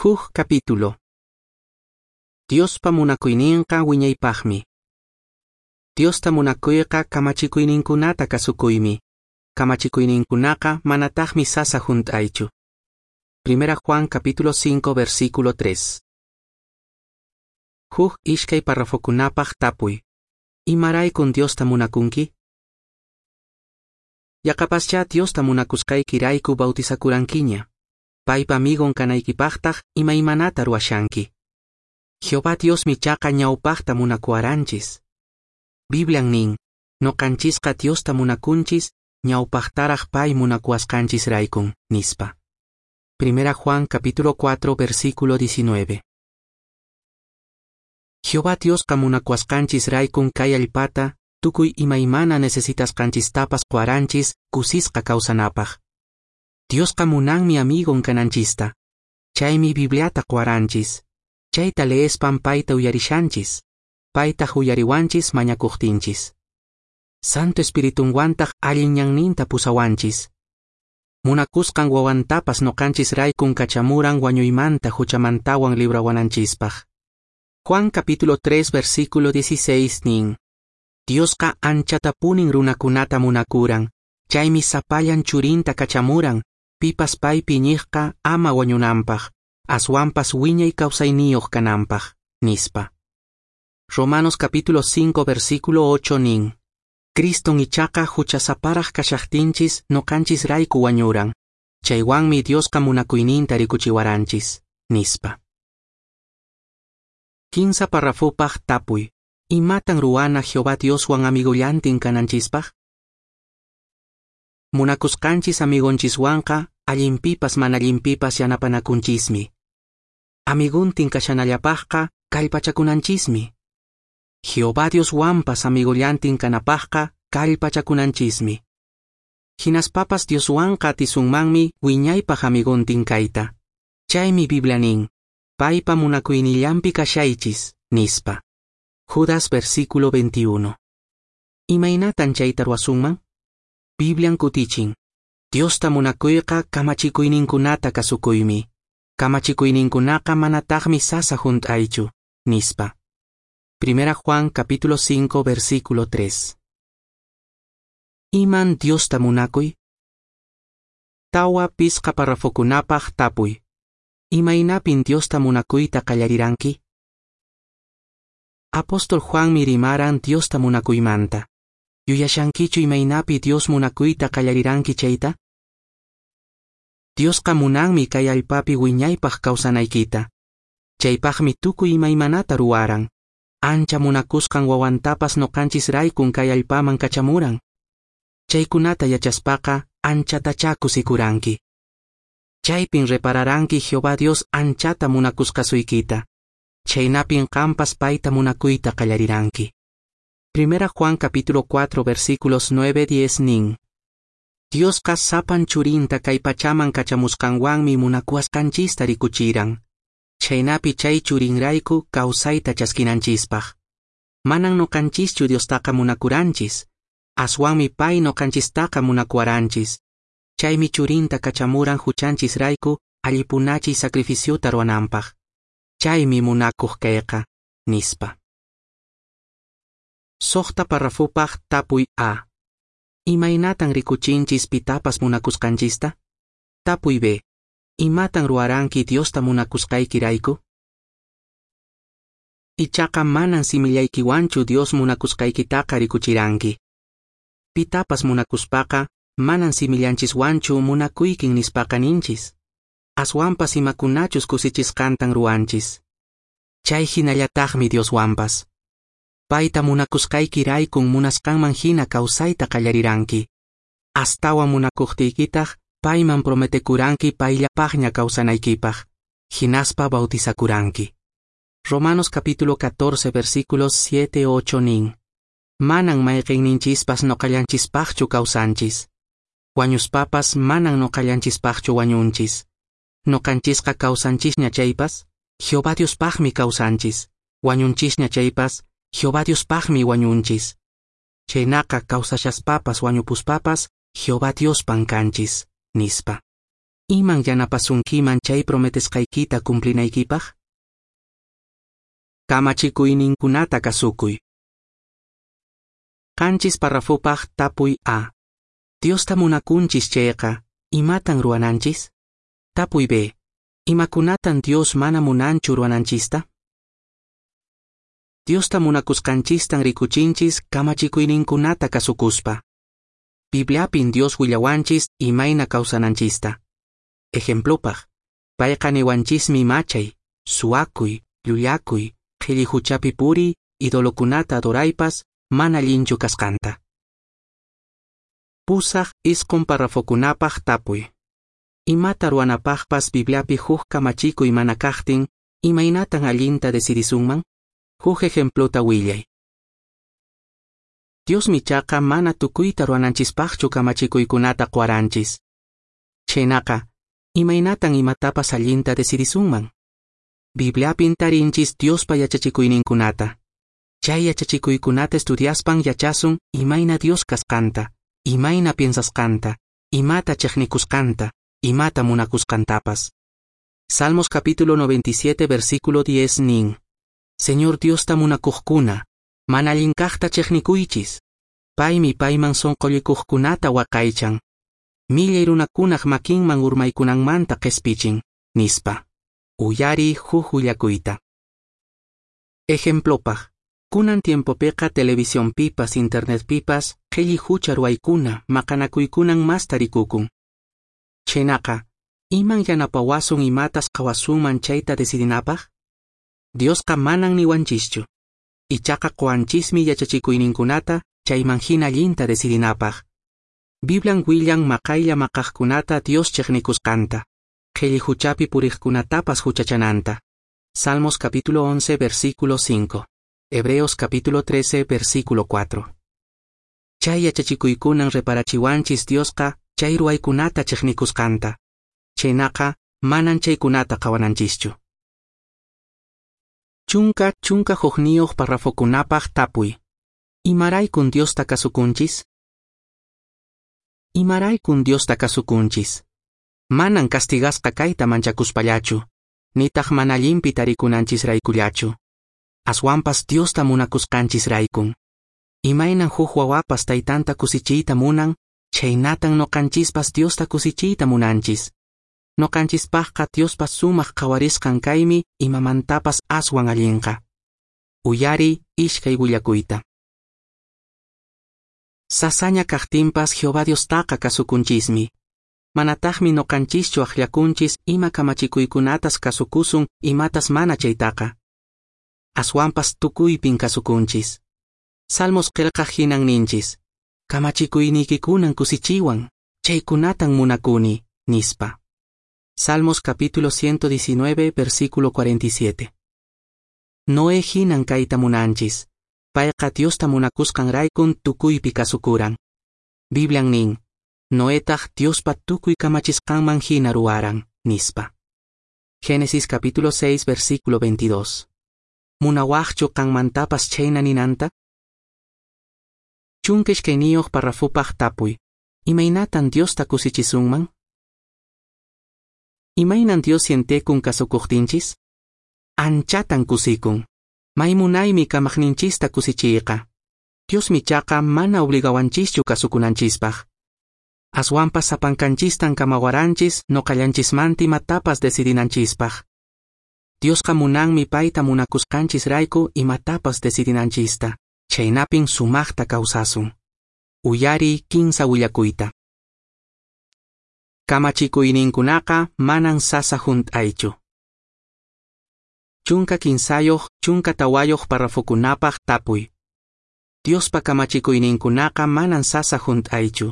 Huk capítulo. Diospa munakuyninqa wiñaypaqmi. Diosta munakuyqa kamachikuyninkunata kasukuymi. Kamachikuyninkunaqa manataqmi sasa hunt'aychu. Primera Juan capítulo 5 versículo 3. Huk ishkay parrafokunapaq tapuy. Imaraykun Diosta munakunki? Yaqapaschá Diosta munakusqaykirayku bautizakurankiña. Paypa amigon kanaykipaqtaq imaymanata ruwashanki. Jehová Diosmi chaqa ñawpaqta munakuwaranchis. Biblian nin, noqanchisqa Diosta munakunchis, ñawpaqtaraq pay munakuwasqanchisraykun, nispa. Primera Juan capítulo 4 versículo 19. Jehová Diosqa munakuwasqanchisraykun kay allpata, tukuy imaymana necesitasqanchistapas quwaranchis kusisqa kawsanapaq. Diosqa munanmi amigon kananchista. Chaymi Bibliata quwaranchis. Chayta leespan payta uyarishanchis. Paytaq uyariwanchis mañakuqtinchis. Santo Espiritunwantaq allin ñanninta pusawanchis. Munakusqan wawantapas noqanchisraykun kachamuran wañuymanta huchamantawan librawananchispaq. Juan capítulo 3 versículo 16 nin. Diosqa anchatapunin runakunata munakuran, chaymi sapallan churinta kachamuran, pipas paypi iñiqqa ama wañunanpaq, aswanpas wiñay kawsayniyuq kananpaq, nispa. Romanos capítulo 5 versículo 8 nin. Criston ichaqa huchasaparaq kashaqtinchis noqanchisrayku wañuran, chaywanmi Diosqa munakuyninta rikuchiwaranchis, nispa. Kinsa parrafopaq tapuy. Imatan ruwana Jehová Dioswan amigollantin kananchispaq? Munakusqanchis amigonchiswanqa allinpipas mana allinpipas yanapanakunchismi. Amiguntin kashanallapaqqa kallpachakunanchismi. Jehová Dioswanpas amigollantin kanapaqqa kallpachakunanchismi. Hinaspapas Dioswanqa atisunmanmi wiñaypaq amigontin kayta. Chaymi Biblia nin, paypa munakuynillanpi kashaychis, nispa. Judas versículo 21. Imaynatan chayta ruwasunman? Biblian kutichin. Diosta munakuyqa kamachikuyninkunata kasukuymi. Kamachikuyninkunaqa manataqmi sasa hunt'aychu, nispa. Primera Juan capítulo 5 versículo 3. Iman Diosta munakuy? Tawa pisqa parrafokunapaq tapuy. Imaynapin Diosta munakuyta qallariranki? Apóstol Juanmi rimaran Diosta munakuymanta. Yuyashankichu imaynapi Dios munakuyta qallariranki chayta? Diosqa munanmi kay allpapi wiñaypaq kawsanaykita. Chaypaqmi tukuy imaymanata ruwaran. Ancha munakusqan wawantapas noqanchisraykun kay allpaman kachamuran. Chaykunata yachaspaqa anchatachá kusikuranki. Chaypin repararanki Jehová Dios anchata munakusqasuykita. Chaynapin qampas payta munakuyta qallariranki. Primera Juan capítulo 4 versículos 9-10 nin. Diosqa sapan churinta kay pachaman kachamusqanwanmi munakuwasqanchista rikuchiran. Chaynapi chay churinrayku kawsayta chaskinanchispaq. Manan noqanchischu Diostaqa munakuranchis, aswanmi pay noqanchistaqa munakuwaranchis. Chaymi churinta kachamuran huchanchisrayku allipunachiy sacrificiota ruwananpaq. Chaymi munakuq kayqa, nispa. Suqta parrafopaq tapuy A. Imaynatan rikuchinchis pitapas munakusqanchista? Tapuy B. Imatan ruwaranki Diosta munakusqaykirayku? Ichaqa manan simillaykiwanchu Dios munakusqaykitaqa rikuchiranki. Pitapas munakuspaqa manan simillanchiswanchu munakuykin nispaqa ninchis. Aswanpas imakunachus kusichisqantan ruwanchis. Chay hinallataqmi Dioswanpas. Payta munakusqaykiraykun munasqanman hina kawsayta qallariranki. Astawan munakuqtiykitaq payman prometekuranki payllapaqña kawsanaykipaq. Hinaspa bautizakuranki. Romanos capítulo 14 versículos 7-8 nin. Manan mayqinninchispas noqallanchispaqchu kawsanchis. Wañuspapas manan noqallanchispaqchu wañunchis. Noqanchisqa kawsanchisña chaypas, Jehová Diospaqmi kawsanchis. Wañunchisña chaypas, Jehová Diospaqmi wañunchis. Chaynaqa kawsashaspapas wañupuspapas, Jehová Diospan kanchis, nispa. Iman yanapasunkiman chay prometesqaykita cumplinaykipaq? Kamachikuyninkunata kasukuy. 7 parrafopaq tapuy A. Diosta munakunchis chayqa, imatan ruwananchis? Tapuy B. Imakunatan Dios mana munanchu ruwananchista? Diosta munakusqanchistan rikuchinchis kamachikuyninkunata kasukuspa. Bibliapin Dios willawanchis imayna kawsananchista. Ejemplopaq, payqa niwanchismi machay, suwakuy, llullakuy, qhilli huchapi puriy, idolokunata adoraypas, mana allinchu kasqanta. 8 9 parrafokunapaq tapuy. Imata ruwanapaqpas Bibliapi huk kamachikuy mana kaqtin, imaynatan allinta decidisunman? Huk ejemplota willay. Diosmi chaqa mana tukuyta ruwananchispaqchu kamachikuykunata quwaranchis. Chhaynaqa, imaynatan imatapas allinta decidisunman? Bibliapin tarinchis Diospa yachachikuyninkunata. Chay yachachikuykunata estudiaspan yachasun imayna Dios kasqanta, imayna piensasqanta, imata chiqnikusqanta, imata munakusqantapas. Salmos capítulo 97 versículo 10 nin: Señor Diosta munakuqkuna, mana allinkaqta chiqnikuychis. Paymi payman sunqullikuqkunata waqaychan. Millay runakunaq makinman urmaykunanmanta qhispichin, nispa. Uyariy huk willakuyta. Ejemplopaq, kunan tiempopiqa televisionpipas internetpipas qhilli hucha ruwaykuna maqanakuykunan masta rikukun. Chhaynaqa, iman yanapawasun imatas qhawasunman chayta decidinapaq? Diosqa manan niwanchischu. Ichaqa quwanchismi yachachikuyninkunata chayman hina allinta decidinapaq. Biblian willan maqaylla maqaqkunata Dios chiqnikusqanta, qhilli huchapi puriqkunatapas huchachananta. Salmos capítulo 11 versículo 5, Hebreos capítulo 13 versículo 4. Chay yachachikuykunan reparachiwanchis Diosqa chay ruwaykunata chiqnikusqanta. Chhaynaqa manan chaykunata qhawananchischu. 11 parrafokunapaq tapuy. Imaraykun Diosta kasukunchis? Imaraykun Diosta kasukunchis? Manan castigasqa kayta manchakuspallachu, nitaq mana allinpi tarikunanchisraykullachu. Aswanpas Diosta munakusqanchisraykun. Imaynan huk wawapas taytanta kusichiyta munan, chhaynatan nuqanchispas Diosta kusichiyta munanchis. Nuqanchispaqqa Diospa sumaq qhawarisqan kaymi imamantapas aswan allinqa. Uyariy iskay willakuyta. Sasaña kaqtinpas Jehová Diostaqa kasukunchismi. Manataqmi nuqanchischu akllakunchis ima kamachikuykunatas kasukusun imatas mana chaytaqa. Aswanpas tukuypin kasukunchis. Salmos qillqaq hinan ninchis: Kamachikuyniykikunan kusichiwan, chaykunatan munakuni, nispa. Salmos capítulo 119 versículo 47. Noé hinan kayta munanchis. Payqa Diosta munakusqanraykun tukuypi kasukuran. Biblian nin: Noetaq Diospa tukuy kamachisqanman hina ruwaran, nispa. Génesis capítulo 6 versículo 22. Munawaqchu qanmantapas chhayna ninanta? 12 parrafopaq tapuy. Imaynatan Diosta kusichisunman? Imaynan Dios sientekun kasukuqtinchis? Anchatan kusikun. May munaymi kamaqninchista kusichiyqa. Diosmi chaqa mana obligawanchischu kasukunanchispaq. Aswanpas sapankanchistan kamawaranchis nuqallanchismanta imatapas decidinanchispaq. Diosqa munanmi payta munakusqanchisrayku imatapas decidinanchista. Chhaynapin sumaqta kawsasun. Uyariy 15 willakuyta. Kamachikuyninkunaqa manan sasa hunt'aychu. 13 14 parrafokunapaq tapuy. Diospa kamachikuyninkunaqa manan sasa hunt'aychu.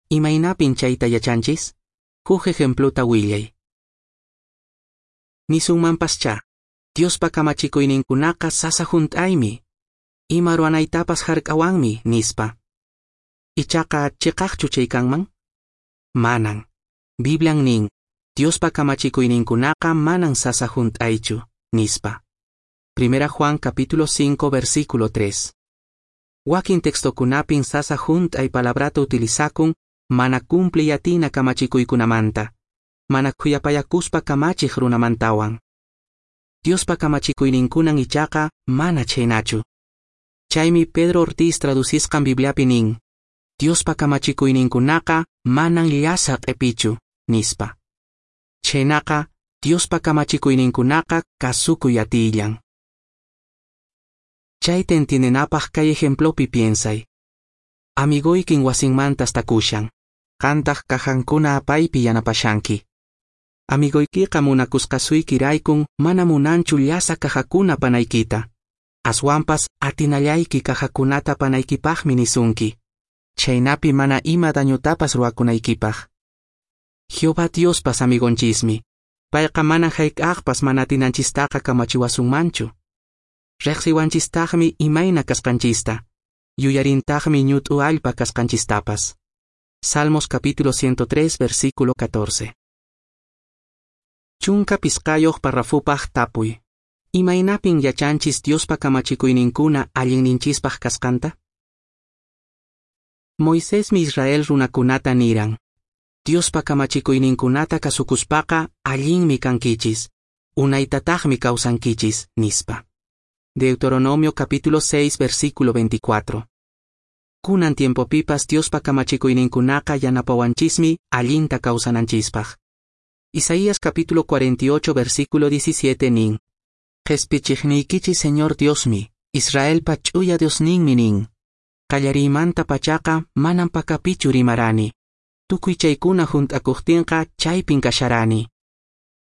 Imaynapin chayta yachanchis? Huk ejemplota willay. Nisunmanpaschá, Diospa kamachikuyninkunaqa sasa hunt'aymi. Ima ruwanaytapas hark'awanmi, nispa. Ichaqa chiqaqchu chay kanman? Manan. Biblian nin, Diospa kamachikuyninkunaqa manan sasa hunt'aychu, nispa. 1 Juan capítulo 5 versículo 3. Wakin textokunapin sasa hunt'ay palabrata utilizakun mana cumpliy atina kamachikuykunamanta. mana khuyapayakuspa kamachiq runamantawan. Diospa kamachikuyninkunan ichaqa mana chhaynachu. Chaymi Pedro Ortiz traducisqan Bibliapi nin, Diospa kamachikuyninkunaqa manan llasa q'epichu, nispa. Chhaynaqa, Diospa kamachikuyninkunaqa kasukuy atillan. Chayta entiendenapaq kay ejemplopi piensay. Amigoykin wasinmanta astakushan, qantaq cajankuna apaypi yanapashanki. Amigoykiqa munakusqasuykiraykun mana munanchu llasa cajakuna apanaykita. Aswanpas atinallayki cajakunata apanaykipaqmi nisunki. Chhaynapi mana ima dañotapas ruwakunaykipaq. Jehová Diospas amigonchismi. Payqa mana hayk'aqpas mana atinanchistaqa kamachiwasunmanchu. Riqsiwanchistaqmi imayna kasqanchista. Yuyarintaqmi ñut'u allpa kasqanchistapas. Salmos capítulo 103, versículo 14. 15 parrafopaq tapuy. Imaynapin yachanchis Diospa kamachikuyninkuna allinninchispaq kasqanta? Moisesmi Israel runakunata niran. Diospa kamachikuyninkunata kasukuspaqa allinmi kankichis, unaytataqmi kawsankichis, nispa. Deuteronomio capítulo 6, versículo 24. Kunan tiempopipas Diospa kamachikuyninkunaqa yanapawanchismi allinta kawsananchispaq. Isaías capítulo 48, versículo 17 nin. Qespichiqniykichis Señor Diosmi, Israelpa ch'uya Diosninmi nin. Qallariymanta pachaqa manan pakapichu rimarani. Tukuy chaykuna hunt'akuqtinqa chaypin kasharani.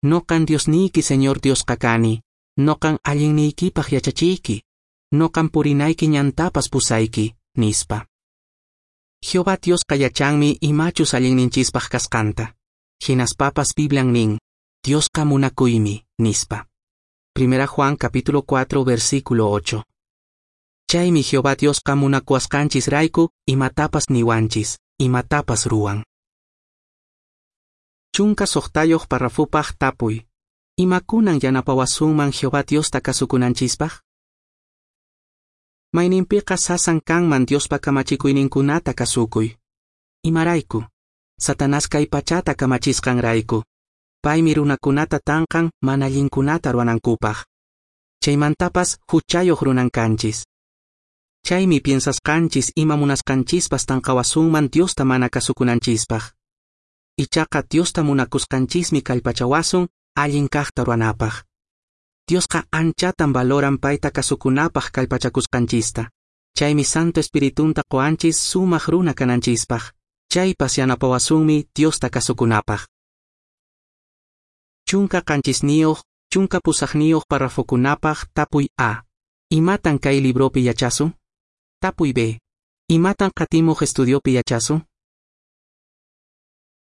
Noqan Diosniyki Señor Diosqa kani. Noqan allinniykipaq yachachiyki. Noqan purinayki ñantapas pusayki, nispa. Jehová Diosqa yachanmi imachus allinninchispaq kasqanta. Hinaspapas Biblian nin, Diosqa munakuymi, nispa. Primera Juan capítulo 4, versículo 8. Chaymi Jehová Diosqa munakuwasqanchis rayku imatapas niwanchis, imatapas ruwan. 16 parrafopaq tapuy. Imakunan yanapawasunman Jehová Diosta kasukunanchispaq? Mayninpiqa sasan kanman Diospa kamachikuyninkunata kasukuy. Imarayku? Satanás kay pachata kamachisqanrayku. Paymi runakunata tanqan mana allinkunata ruwanankupaq. Chaymantapas huchayuq runan kanchis. Chaymi piensasqanchis ima munasqanchispas tanqawasunman Diosta mana kasukunanchispaq. Ichaqa Diosta munakusqanchismi kallpachawasun allin kaqta ruwanapaq. Diosqa anchatan valoran payta kasukunapaq kallpachakusqanchista. Chaymi Santo Espiritunta qowanchis sumaq runa kananchispaq. Chaypas yanapawasunmi Diosta kasukunapaq. 17 18 parrafokunapaq tapuy A. Imatan kay libropi yachasun? Tapuy B. Imatan qatimuq estudiopi yachasun?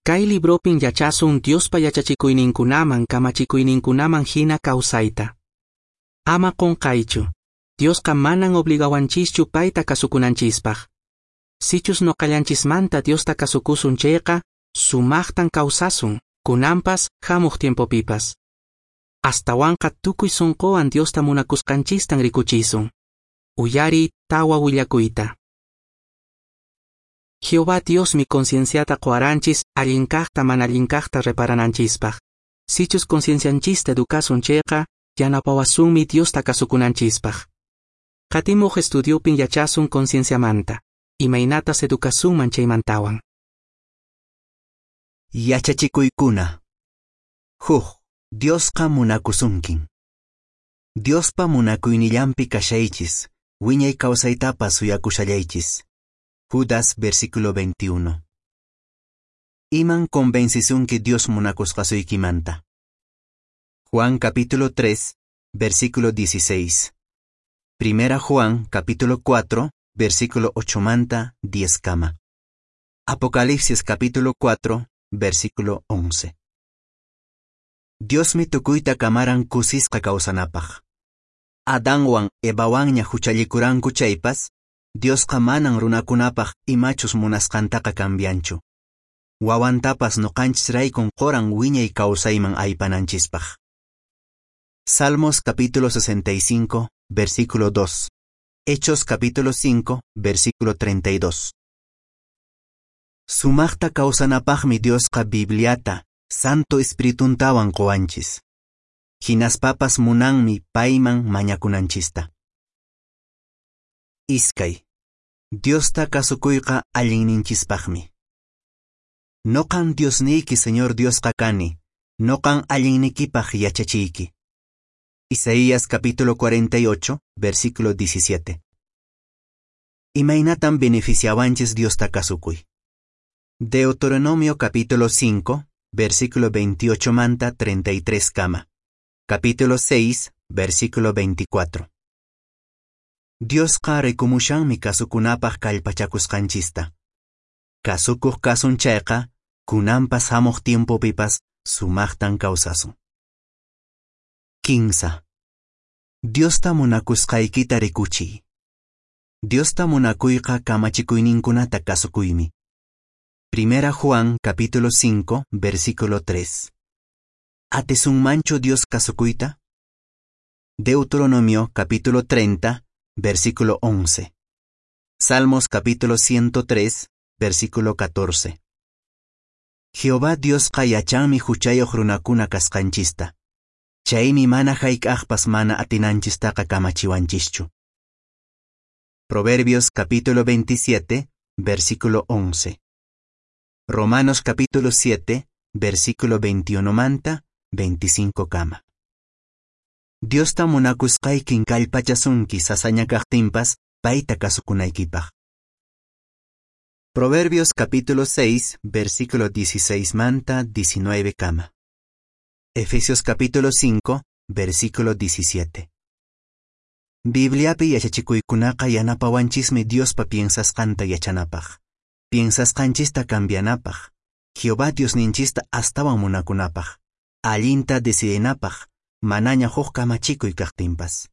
Kay libropin yachasun Diospa yachachikuyninkunaman kamachikuyninkunaman hina kawsayta. Ama qunqaychu. Diosqa manan obligawanchischu payta kasukunanchispaq. Sichus noqallanchismanta Diosta kasukusun chayqa, sumaqtan kawsasun, kunanpas hamuq tiempopipas. Astawanqa tukuy sunquwan Diosta munakusqanchistan rikuchisun. Uyariy tawa willakuyta. Jehová Diosmi concienciata qowaranchis allin kaqta mana allin kaqta reparananchispaq. Sichus conciencianchista educasun chayqa, yanapawasunmi Diosta kasukunanchispaq. Qatimuq estudiopin yachasun concienciamanta. Imaynatas educasunman chaymantawan. Yachachikuykuna. Huk, Diosqa munakusunkin. Diospa munakuynillanpi kashaychis, wiñay kawsaytapas suyakushallaychis. Judas, versículo 21. Iman convencisunki Dios munakusqasuykimanta. Juan capítulo 3, versículo 16. Primera Juan capítulo 4, versículo 8 manta 10 kama. Apocalipsis capítulo 4, versículo 11. Diosmi tukuyta kamaran kusisqa kawsanapaq. Adanwan Evawanña huchallikuranku chaypas, Diosqa manan runakunapaq imachus munasqantaqa cambianchu. Wawantapas noqanchisraykun qoran wiñay kawsayman aypananchispaq. Salmos capítulo 65, versículo 2. Hechos capítulo 5, versículo 32. Sumaqta kawsanapaqmi Diosqa Bibliata, Santo Espirituntawan qowanchis. Hinaspapas munanmi payman mañakunanchista. Iskay. Diosta kasukuyqa allinninchispaqmi. Noqan Diosniyki Señor Diosqa kani, noqan allinnikipaq yachachiyki. Isaías capítulo 48, versículo 17. Imaynatan beneficiawanchis Diosta kasukuy. Deuteronomio capítulo 5, versículo 28 manta 33 kama. Capítulo 6, versículo 24. Diosqa rikumushanmi kasukunapaq kallpachakusqanchista. Kasukuq kasun chayqa, kunanpas hamuq tiempopipas sumaqtan kawsasun. 15. Diosta munakusqaykita rikuchiy. Diosta munakuyqa kamachikuyninkunata kasukuymi. Primera Juan capítulo 5, versículo 3. ¿Atisunmanchu Dios kasukuyta? Deuteronomio capítulo 30, versículo 11. Salmos capítulo 103, versículo 14. Jehová Diosqa yachanmi huchayoq runakuna kasqanchista. Chaymi mana hayk'aqpas mana atinanchistaqa kamachiwanchischu. Proverbios capítulo 27, versículo 11. Romanos capítulo 7, versículo 21 manta, 25 kama. Diosta munakusqaykin kallpachasunki sasaña kaqtinpas payta kasukunaykipaq. Proverbios capítulo 6, versículo 16 manta, 19 kama. Efesios capítulo 5, versículo 17. Bibliapi yachachikuykunaqa yanapawanchismi Diospa piensasqanta yachanapaq, piensasqanchista cambianapaq, Jehová Diosninchista astawan munakunapaq, allinta decidinapaq, manaña huk kamachikuy kaqtinpas.